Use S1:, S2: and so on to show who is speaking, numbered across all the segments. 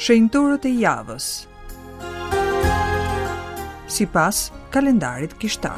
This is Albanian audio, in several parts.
S1: Shenjtorët e javës. Sipas kalendarit kishtar.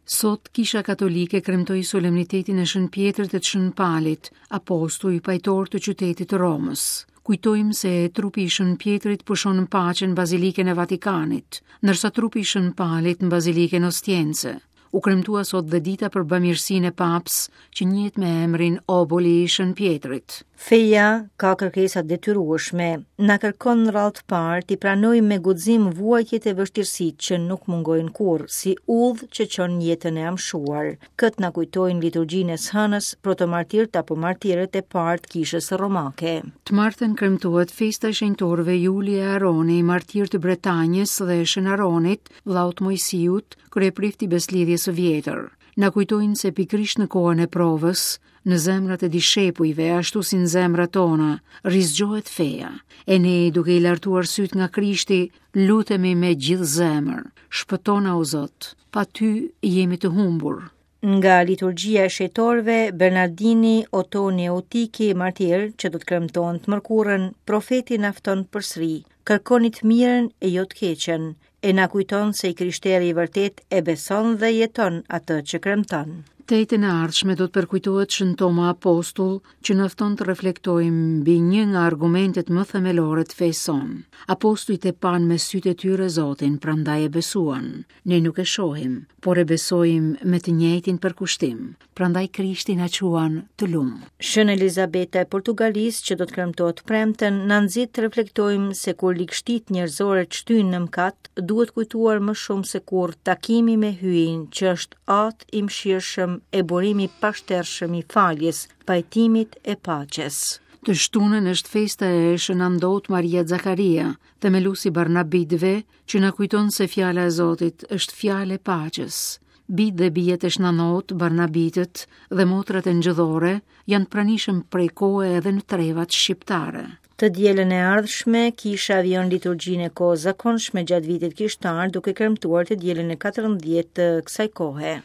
S2: Sot Kisha Katolike kremtoi solemnitetin e Shën Pjetrit e të Shën Palit, apostuj pajtorë të qytetit të Romës. Kujtojmë se trupi i Shën Pjetrit pushon në paqe në Bazilikën e Vatikanit, ndërsa trupi i Shën Palit në Bazilikën Ostiense. U kremtua sot dhe dita për bamirësinë e Papës, që njihet me emrin Oboli i Shën Pjetrit.
S3: Feja ka kërkesa të detyrueshme, na kërkon në radhë të parë t'i pranojmë me guxim vuajtjet e vështirësitë që nuk mungojnë kurrë, si udhë që çon në jetën e amshuar. Këtë na kujtojnë në liturgjinë e së hënës protomartirët apo martirët e parë të Kishës Romake.
S2: Të martën kremtohet festa e shenjtorëve Juli e Aroni, martirë të Bretanjës dhe Shën Aronit, vëllaut të Moisiut, kryeprift i Besëlidhjes së Vjetër. Na kujtojnë se pikërisht në kohën e provës, në zemrat e dishepujve, ashtu si në zemrat tona, rizgjohet feja. E ne, duke i lartuar sytë nga Krishti, lutemi me gjithë zemër. Shpëtona o Zot, pa ty jemi të humbur.
S3: Nga liturgjia e shenjtorëve, Bernardini, Otoni e Eutiki, martirë, që do të kremtohen të mërkurën, profeti na fton përsëri, kërkoni të mirën e jo të keqen, e na kujton se i krishteri i vërtetë e beson dhe jeton atë që kremton.
S2: Të enjten e ardhshme do të përkujtohet Shën Toma Apostull, që na fton të reflektojmë mbi një nga argumentet më themelore të fesë sonë. Apostujt e panë me sytë e tyre Zotin, prandaj e besuan. Ne nuk e shohim, por e besojmë me të njëjtin përkushtim. Prandaj Krishti na quan të
S3: lum. Shën Elizabeta e Portugalisë, që do të kremtohet të premten, na nxit të reflektojmë se kur ligështitë njerëzore të shtyjnë në mëkat, duhet kujtuar më shumë se kurrë takimi me Hyjin, që është Atë i mëshirshëm e burim i pashtershëm i faljes, pajtimit e paqes.
S2: Të shtunën është festa e Shën Andot Maria Zakaria, themelues i Barnabitëve, që na kujton se fjala e Zotit është fjalë e paqes. Bijtë dhe bijat e Shën Andot, Barnabitët dhe motrat engjëllore janë të pranishëm prej kohe edhe në trevat shqiptare.
S3: Të dielën e ardhshme, kisha vijon liturgjinë e kohës zakonshme gjatë vitit kishtar, duke kremtuar të dielën e 14 të kësaj kohe.